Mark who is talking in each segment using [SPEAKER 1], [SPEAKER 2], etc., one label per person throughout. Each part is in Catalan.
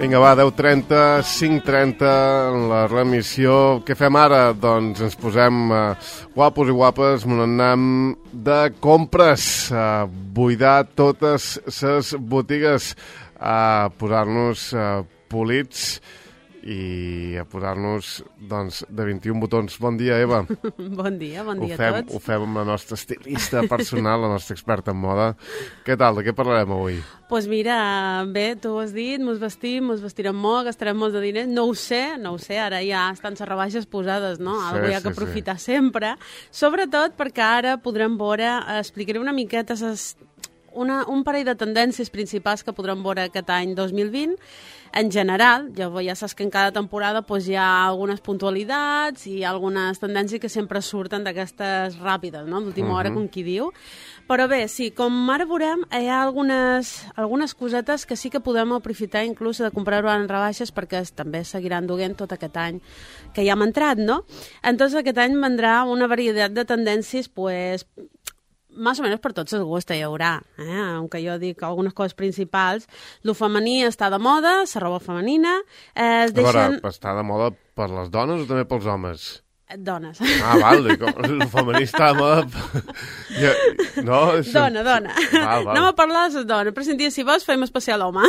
[SPEAKER 1] Vinga, va, 10:30, 5:30, la remissió. Què fem ara? Doncs ens posem guapos i guapes, n'anem de compres, a buidar totes les botigues, a posar-nos polits i a posar-nos, doncs, de 21 botons. Bon dia, Eva.
[SPEAKER 2] Bon dia a tots.
[SPEAKER 1] Ho fem amb la nostra estilista personal, la nostra experta en moda. Què tal? De què parlarem avui?
[SPEAKER 2] Doncs mira, bé, tu ho has dit, mos vestirem molt, gastarem molts de diners. No ho sé, ara ja estan les rebaixes posades, no? Algo hi ha que aprofitar sempre. Sobretot perquè ara podrem veure, explicaré una miqueta un parell de tendències principals que podrem veure aquest any 2020. En general, ja saps que en cada temporada hi ha algunes puntualitats i algunes tendències que sempre surten d'aquestes ràpides, no? D'última hora, com qui diu. Però bé, sí, com ara veurem, hi ha algunes cosetes que sí que podem aprofitar inclús de comprar-ho en rebaixes perquè també seguiran duent tot aquest any que ja hem entrat, no? Entonces aquest any vendrà una varietat de tendències, pues, más o menos per tots els gustos hi haurà, aunque jo dic algunes coses principals. Lo femení està de moda, la roba femenina.
[SPEAKER 1] A veure, està de moda per les dones o també pels homes?
[SPEAKER 2] Dones.
[SPEAKER 1] Ah, val, el femení està de moda... No?
[SPEAKER 2] Dona.
[SPEAKER 1] Val.
[SPEAKER 2] Anem a parlar de les dones, però si vols fem especial home.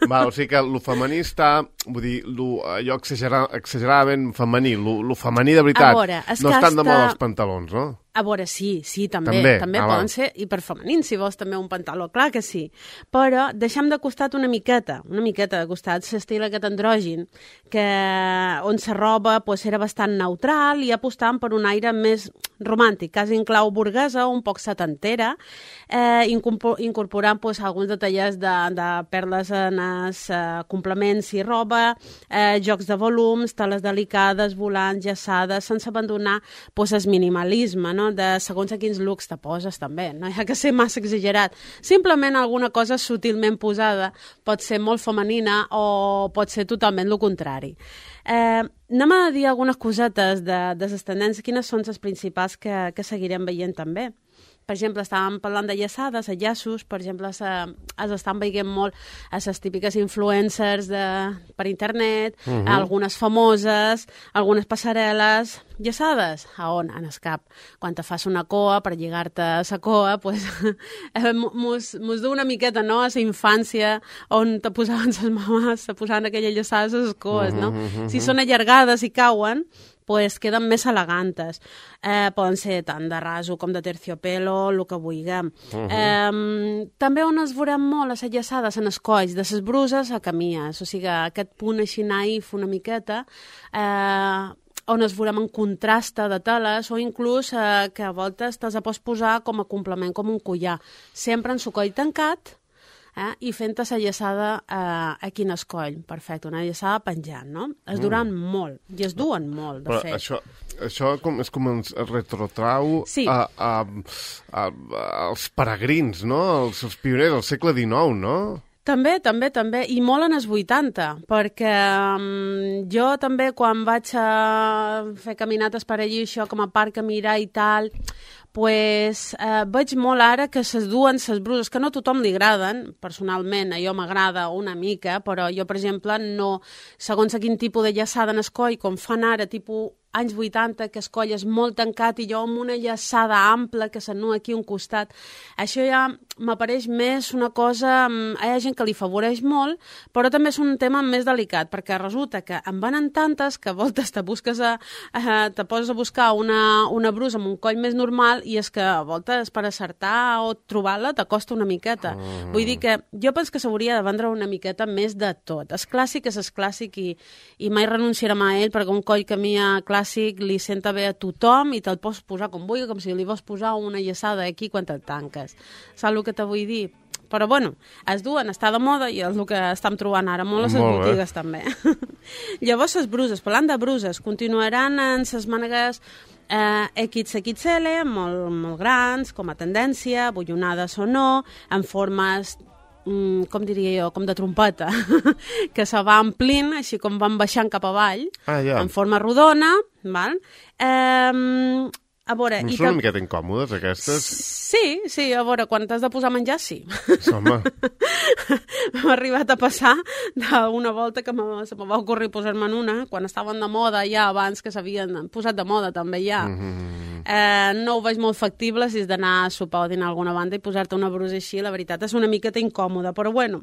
[SPEAKER 1] Val, o sigui que el femení està, vull dir, allò exageradament femení, el femení de veritat.
[SPEAKER 2] Veure,
[SPEAKER 1] no estan de moda els pantalons, no?
[SPEAKER 2] A veure, sí, també poden ser hiperfemenins, si vols també un pantaló, clar que sí. Però deixem de costat una miqueta de costat l'estil aquest andrògin, on la roba era bastant neutral i apostant per un aire més romàntic, quasi en clau burguesa, un poc setantera, incorporant alguns detallers de perles en els complements i roba, jocs de volums, teles delicades, volants, llaçades, sense abandonar el minimalisme, no? De segons a quins looks te poses també, no hi ha que ser massa exagerat. Simplement alguna cosa sutilment posada pot ser molt femenina o pot ser totalment el contrari. Anem a dir algunes cosetes de les tendències, quines són les principals que seguirem veient també. Per exemple, estàvem parlant de llaçades, de llaços, per exemple, els estan veient molt a les típiques influencers per internet, algunes famoses, algunes passarel·les, llaçades. A on? En el cap. Quan te fas una coa, per lligar-te a la coa, mos du una miqueta, no?, a la infància, on te posaven les mamans, te posaven aquelles llaçades a les coes, no? Si són allargades i cauen, queden més elegantes. Poden ser tant de raso com de terciopelo, el que vulguem. També on es veurem molt les llaçades en els colls, de les bruses a camies, o sigui, aquest punt així naïf una miqueta, on es veurem en contrasta de teles o inclús que a voltes te'ls pots posar com a complement, com un collar, sempre en el coll tancat, i fent-te la llaçada aquí en el coll. Perfecte, una llaçada penjant, no? Es duran molt, i es duen molt, de fet.
[SPEAKER 1] Però això és com ens retrotrau als peregrins, no? Els pioners del segle XIX, no?
[SPEAKER 2] També, i molt en els 80, perquè jo també quan vaig a fer caminates per allí, això com a parc a mirar i tal, veig molt ara que ses duen ses bruses, que no a tothom li agraden, personalment, a jo m'agrada una mica, però jo, per exemple, no, segons a quin tipus de llaçada en el coll, com fan ara, tipus anys 80, que el coll és molt tancat i jo amb una llaçada ampla que s'anua aquí a un costat, això ja m'apareix més una cosa, hi ha gent que li favoreix molt, però també és un tema més delicat, perquè resulta que en van tantes que a voltes te poses a buscar una brusa amb un coll més normal i és que a voltes per acertar o trobar-la t'acosta una miqueta. Vull dir que jo penso que s'hauria de vendre una miqueta més de tot. El clàssic és el clàssic i mai renunciarem a ell perquè un coll que a mi clàssic li senta bé a tothom i te'l pots posar com vulgui, com si li vols posar una llaçada aquí quan te'l tanques. Saps el que te vull dir? Però bueno, es duen, està de moda i és el que estem trobant ara molt a les botigues també. Llavors les bruses, parlant de bruses, continuaran en les mànegues XXL, molt grans, com a tendència, bullonades o no, en formes, com diria jo, com de trompeta, que se va omplint, així com van baixant cap avall, en forma rodona, val? A veure,
[SPEAKER 1] no són una miqueta incòmodes, aquestes?
[SPEAKER 2] Sí, a veure, quan t'has de posar a menjar, sí.
[SPEAKER 1] Home.
[SPEAKER 2] M'ha arribat a passar d'una volta que se me va ocorrir posar-me'n una, quan estaven de moda ja, abans que s'havien posat de moda també ja. No ho veig molt factible si és d'anar a sopar o dinar a alguna banda i posar-te una brusa així, la veritat és una miqueta incòmoda, però bueno,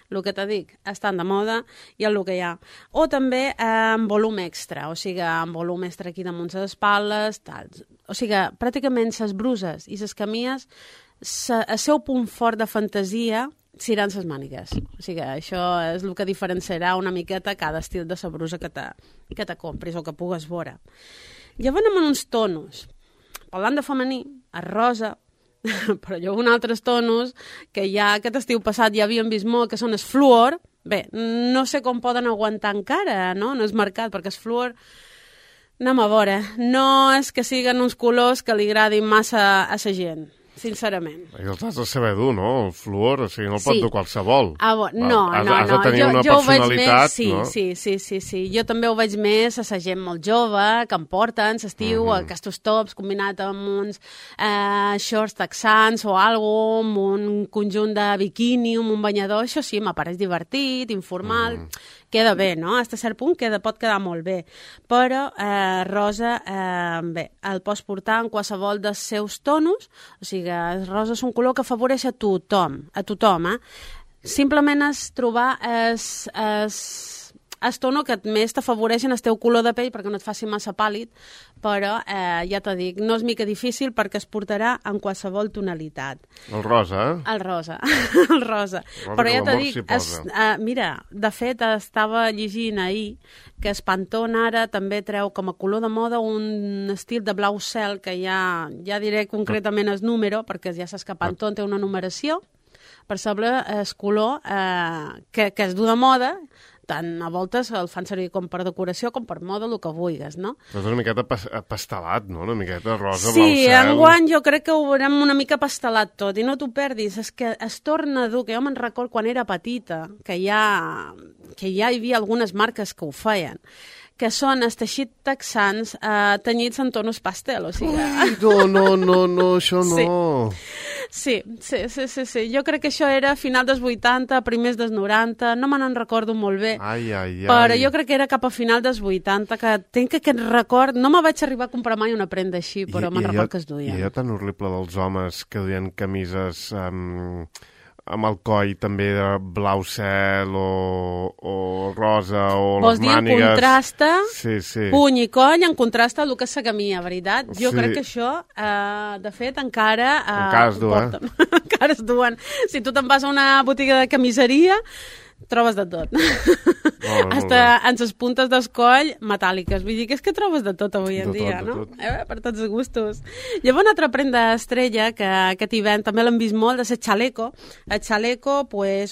[SPEAKER 2] el que te dic, estan de moda i el que hi ha. O també amb volum extra, o sigui, amb volum extra aquí damunt les espatlles, tal. O sigui, pràcticament les bruses i les camies, el seu punt fort de fantasia seran les mànigues. O sigui, això és el que diferenciarà una miqueta cada estil de la brusa que te compris o que pugues veure. Llavors anem en uns tonos. Parlant de femení, el rosa, però hi ha uns altres tonos que ja aquest estiu passat ja havíem vist molt, que són el fluor. Bé, no sé com poden aguantar encara, no? No és marcat, perquè el fluor, anem a veure, no és que siguin uns colors que li agradin massa a la gent, sincerament.
[SPEAKER 1] I els has de saber dur, no? El fluor, o sigui, no el pot dur qualsevol.
[SPEAKER 2] No.
[SPEAKER 1] Has de tenir una personalitat, no?
[SPEAKER 2] Sí. Jo també ho veig més a la gent molt jove, que em porten l'estiu, aquests tops combinat amb uns shorts texans o alguna amb un conjunt de biquini, amb un banyador, això sí, m'apareix divertit, informal, queda bé, no? Fins a cert punt pot quedar molt bé. Però rosa, bé, el pots portar en qualsevol dels seus tonos, o sigui, el rosa és un color que afavoreix a tothom, Simplement és trobar el tono que més t'afavoreixen el teu color de pell perquè no et faci massa pàl·lid, però ja t'ho dic, no és mica difícil perquè es portarà en qualsevol tonalitat.
[SPEAKER 1] El rosa, eh?
[SPEAKER 2] El rosa. Però ja t'ho dic, mira, de fet estava llegint ahir que el Pantone ara també treu com a color de moda un estil de blau cel que ja diré concretament el número, perquè ja saps que Pantone té una numeració per saber el color que es du de moda, tant a voltes el fan servir com per decoració com per moda, el que vulguis, no?
[SPEAKER 1] Però és una miqueta pastelat, no? Una miqueta rosa,
[SPEAKER 2] sí,
[SPEAKER 1] blau cel. Sí,
[SPEAKER 2] enguany jo crec que ho veurem una mica pastelat tot, i no t'ho perdis, és que es torna dur, que jo me'n record quan era petita, que ja hi havia algunes marques que ho feien, que són els teixits texans tenyits en tonos pastel, o sigui...
[SPEAKER 1] Ui, no, això no...
[SPEAKER 2] Sí. Jo crec que això era a final dels 80, primers dels 90, no me n'en recordo molt bé. Però jo crec que era cap a final dels 80, que tinc aquest record... No me vaig arribar a comprar mai una prenda així, però me'n record que es duien.
[SPEAKER 1] I allò tan horrible dels homes que duien camises... amb el coll també de blau cel o rosa o les mànigues... Vols dir en
[SPEAKER 2] contrasta,
[SPEAKER 1] sí.
[SPEAKER 2] Puny i coll en contrasta el que és la camia, veritat? Jo crec que això, de fet, encara
[SPEAKER 1] es duen.
[SPEAKER 2] Encara es duen. Si tu te'n vas a una botiga de camiseria, trobes de tot. Hasta en les puntes del coll metàl·liques. Vull dir que és que trobes de tot avui en dia, no? Per tots els gustos. Llavors, una altra prenda estrella que aquest hivern també l'hem vist molt és el xaleco. El xaleco,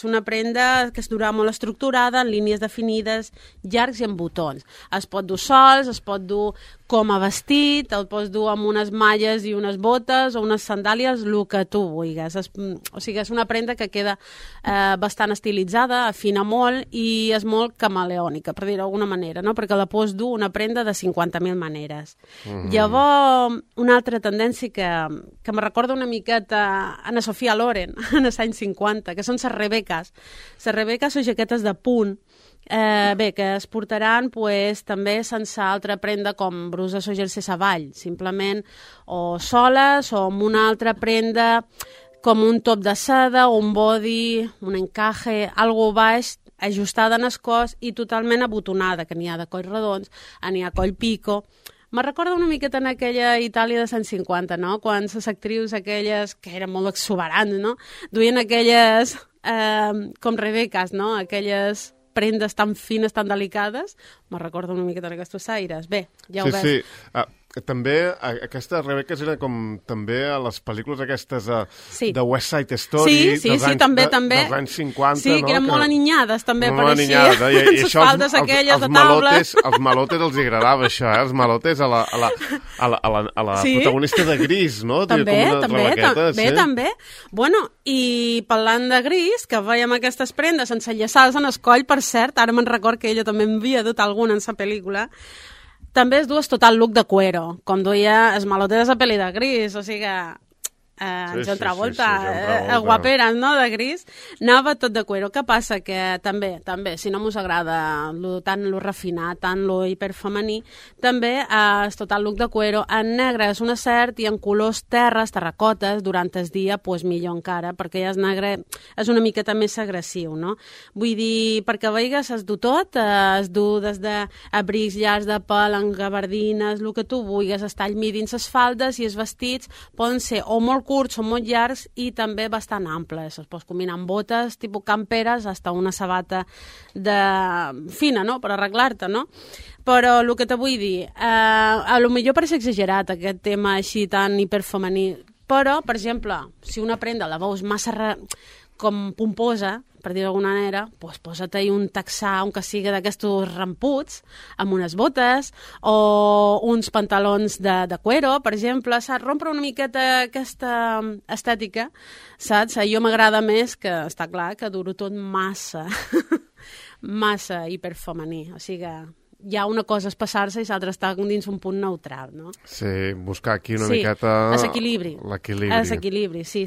[SPEAKER 2] una prenda que es durà molt estructurada, en línies definides, llargs i amb botons. Es pot dur sols, es pot dur com a vestit, el pots dur amb unes malles i unes botes o unes sandàlies, el que tu vulguis. O sigui, és una prenda que queda bastant estilitzada, afina molt i és molt camaleònica, per dir-ho d'alguna manera, no? Perquè la pots dur una prenda de 50.000 maneres. Llavors, una altra tendència que me recorda una miqueta a la Sofia Loren, en els anys 50, que són les rebeques. Les rebeques són jaquetes de punt, que es portaran també sense altra prenda com bruses o jersei avall, simplement o soles o amb una altra prenda com un top de seda o un body, un encaje, algo baix, ajustada en el cos i totalment abotonada, que n'hi ha de coll redons, n'hi ha coll pico. Me recorda una miqueta en aquella Itàlia de 150, no? Quan les actrius aquelles, que eren molt exuberants, no? Duien aquelles com rebeques, no? Aquelles prendes tan fines, tan delicades. Me recorda una miqueta en aquests aires. Bé, ja ho veus.
[SPEAKER 1] Sí. També aquestes rebeques eren com també a les pel·lícules aquestes de West Side Story dels anys 50.
[SPEAKER 2] Sí, que eren molt aninyades també,
[SPEAKER 1] pareixia. I això als malotes els agradava això, els malotes a la protagonista de Gris, no?
[SPEAKER 2] També. Bueno, i parlant de Gris, que veiem aquestes prendes sense llaçals en el coll, per cert, ara me'n record que ella també en havia dut alguna en sa pel·lícula, també es dues total look de cuero, com duia es malote de la pel·li de Gris, o sigui que... John Travolta, guaperes, no?, de Gris, anava tot de cuero. Què passa? Que també, si no us agrada tant lo refinat, tant lo hiperfemení, també és total look de cuero. En negre és un acert i en colors terres, terracotes, durant el dia, pues millor encara, perquè ja és negre, és una miqueta més agressiu, no? Vull dir, perquè veigues, es du tot, es du des d'abrics llargs de pèl, en gabardines, el que tu vulguis, es tall midi dins les faldes i els vestits poden ser o molt curts o molt llargs i també bastant amples. Es pot combinar amb botes, tipus camperes, hasta una sabata fina, no?, per arreglar-te, no? Però el que te vull dir, a lo millor pareix exagerat aquest tema així tan hiperfemení, però, per exemple, si una prenda la veus massa com pomposa, per dir d'alguna manera, doncs posa-te-hi un texà, un que sigui d'aquests ramputs, amb unes botes, o uns pantalons de cuero, per exemple, saps? Rompre una miqueta aquesta estètica, saps? A jo m'agrada més que, està clar, que duro tot massa, massa hiperfemení, o sigui que... Hi ha una cosa és passar-se i l'altra està dins un punt neutral, no?
[SPEAKER 1] Sí, buscar aquí una miqueta...
[SPEAKER 2] L'equilibri. L'equilibri, sí.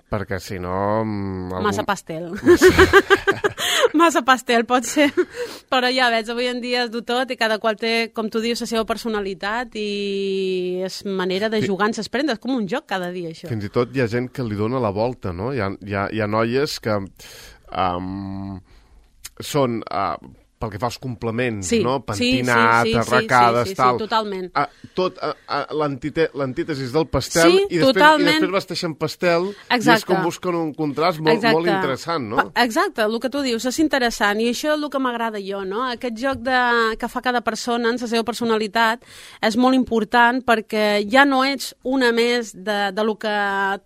[SPEAKER 1] Perquè si no...
[SPEAKER 2] Massa pastel. Massa pastel pot ser, però ja veig, avui en dia es du tot i cada qual té, com tu dius, la seva personalitat i és manera de jugar en ses prendes, com un joc cada dia, això.
[SPEAKER 1] Fins i tot hi ha gent que li dona la volta, no? Hi ha noies que són... pel que fa als complements, no? Pentinat, arracades, tal.
[SPEAKER 2] Sí, totalment.
[SPEAKER 1] Tot l'antítesis del pastel i després vesteixen pastel i és com busquen un contrast molt interessant, no?
[SPEAKER 2] Exacte, el que tu dius és interessant i això és el que m'agrada jo, no? Aquest joc que fa cada persona en la seva personalitat és molt important perquè ja no ets una més de lo que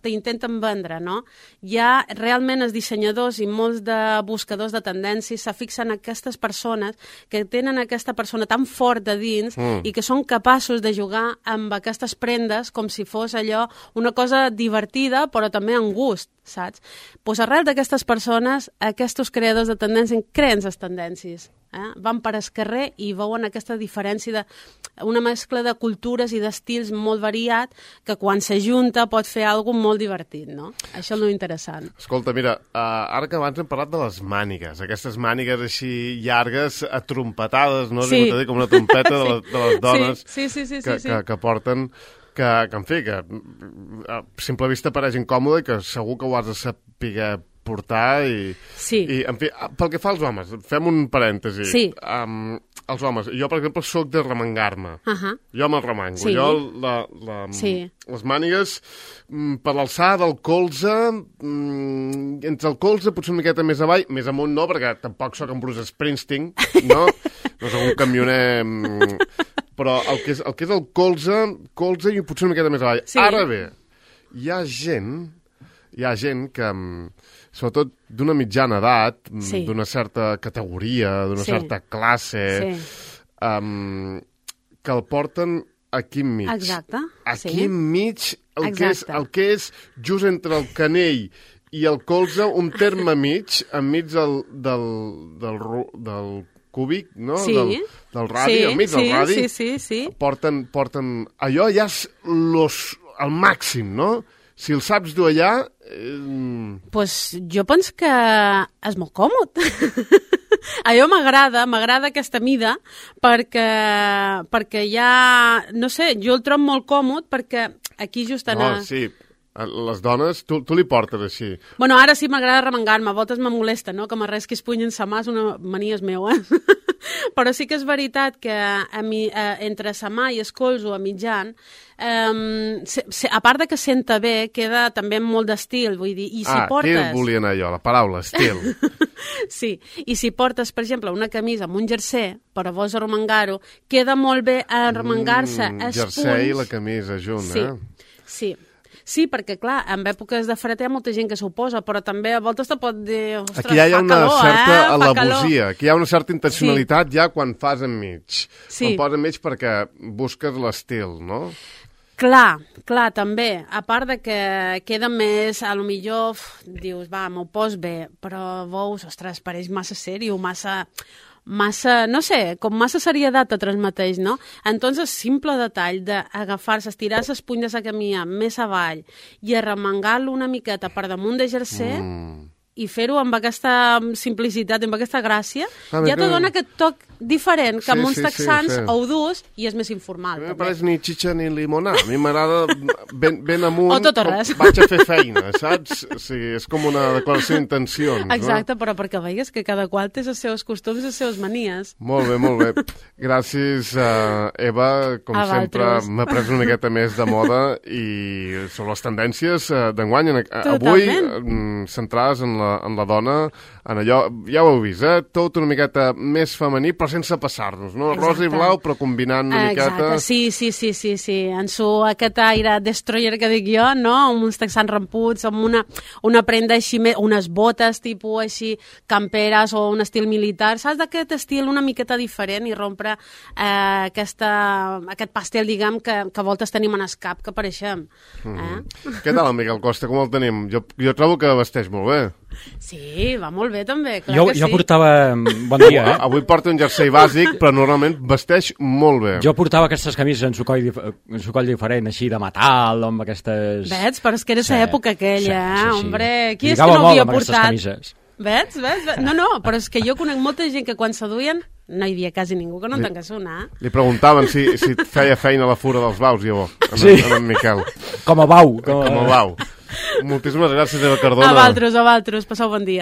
[SPEAKER 2] t'intenten vendre, no? Ja realment els dissenyadors i molts de buscadors de tendències se fixen en aquestes persones que tenen aquesta persona tan fort de dins i que són capaços de jugar amb aquestes prendes com si fos allò una cosa divertida però també amb gust, saps? Doncs arrel d'aquestes persones, aquests creadors de tendències creen les tendències. Van per el carrer i veuen aquesta diferència una mescla de cultures i d'estils molt variat que quan s'ajunta pot fer alguna molt divertit, no? Això és lo interessant.
[SPEAKER 1] Escolta, mira, ara que abans hem parlat de les mànigues, aquestes mànigues així llargues, atrompetades, no? Sí. Com una trompeta de les dones que porten, que en fi, que a simple vista pareix incòmode i que segur que ho has de saber portar i en fi, pel que fa als homes, fem un parèntesi.
[SPEAKER 2] Sí.
[SPEAKER 1] Els homes, jo per exemple soc de remengar-me. Jo me'l remengo.
[SPEAKER 2] Sí.
[SPEAKER 1] Jo les mànigues per l'alçada del colze, entre el colze potser una miqueta més avall, més amunt no, perquè tampoc soc en Bruce Springsteen, no? No soc un camioner... Però el que és el colze i potser una miqueta més avall. Sí. Ara bé, hi ha gent que, sobretot d'una mitjana edat, d'una certa categoria, d'una certa classe, que el porten aquí enmig.
[SPEAKER 2] Exacte.
[SPEAKER 1] Aquí enmig, el que és just entre el canell i el colze, un terme mig, enmig del cúbic, no? Del radi, enmig del radi.
[SPEAKER 2] Sí.
[SPEAKER 1] Porten... Allò ja és el màxim, no? Si el saps dur allà...
[SPEAKER 2] Pues jo penso que és molt còmode. Allò m'agrada aquesta mida perquè ja, no sé, jo el trobo molt còmode perquè aquí just anar...
[SPEAKER 1] No, sí, les dones, tu li portes així.
[SPEAKER 2] Bueno, ara sí m'agrada remengar-me, a voltes me molesta, no? Que m'arres que es punyen sa mà és una mania meva, Però sí que és veritat que entre sa mà i el colze a mitjan, a part de que senta bé, queda també amb molt d'estil, vull dir, i si portes...
[SPEAKER 1] Aquí volia anar jo, la paraula, estil.
[SPEAKER 2] Sí, i si portes, per exemple, una camisa amb un jersei, però vols arremengar-ho, queda molt bé arremengar-se els punts...
[SPEAKER 1] Jersei i la camisa junt,
[SPEAKER 2] Sí. Sí, perquè, clar, en èpoques de fred hi ha molta gent que s'ho posa, però també a voltes te pot dir, ostres,
[SPEAKER 1] aquí ja hi ha una
[SPEAKER 2] calor,
[SPEAKER 1] certa al·levosia, aquí hi ha una certa intencionalitat ja quan fas enmig. Quan poses enmig perquè busques l'estil, no?
[SPEAKER 2] Clar, també. A part de que queda més, a lo millor dius, va, m'ho pos bé, però veus, ostres, pareix massa sèrio, massa, no sé, com massa serietat a transmeteix, no? Entonces, simple detall d'agafar-se, estirar les puntes de camí més avall i arremangar-lo una miqueta per damunt de jersey i fer-ho amb aquesta simplicitat, amb aquesta gràcia, ja te dona aquest toc diferent que amb uns texans ho durs i és més informal.
[SPEAKER 1] A mi no pareix ni xitxa ni limonà. A mi m'agrada ben amunt.
[SPEAKER 2] O tot o res.
[SPEAKER 1] Vaig a fer feina, saps? O sigui, és com una declaració d'intencions.
[SPEAKER 2] Exacte, però perquè veigues que cada qual té els seus costums i les seves manies.
[SPEAKER 1] Molt bé, molt bé. Gràcies, Eva. Com sempre, m'ha pres una miqueta més de moda i sobre les tendències d'enguany. Avui, centrades en la dona, en allò, ja ho heu vist, tot una miqueta més femení, però sense passar-nos, no? Rosa i blau, però combinant una miqueta...
[SPEAKER 2] Sí. En aquest aire destroyer que dic jo, no? Amb uns texans ramputs, amb una prenda així, unes botes tipus així, camperes o un estil militar, saps? D'aquest estil una miqueta diferent i rompre aquest pastel, diguem, que a voltes tenim en el cap, que apareixem.
[SPEAKER 1] Què tal, en Miquel Costa? Com el tenim? Jo trobo que vesteix molt bé.
[SPEAKER 2] Sí, va molt bé també, clar que sí.
[SPEAKER 3] Jo portava... Bon dia,
[SPEAKER 1] Avui porta un jersei bàsic, però normalment vesteix molt bé.
[SPEAKER 3] Jo portava aquestes camises en sucoll diferent, així de metal, amb aquestes...
[SPEAKER 2] Veig, però és que era l'època aquella, hombre. Qui és que
[SPEAKER 3] Lligava
[SPEAKER 2] no havia
[SPEAKER 3] molt amb
[SPEAKER 2] portat?
[SPEAKER 3] camises.
[SPEAKER 2] Veig? No, però és que jo conec molta gent que quan s'aduien no hi havia quasi ningú que no en tanqués una.
[SPEAKER 1] Li preguntaven si feia feina a la fura dels baus, jo, en Miquel.
[SPEAKER 3] Com a bau.
[SPEAKER 1] Com a bau. Moltíssimes gràcies, Eva Cardona.
[SPEAKER 2] A vosaltres, passeu bon dia.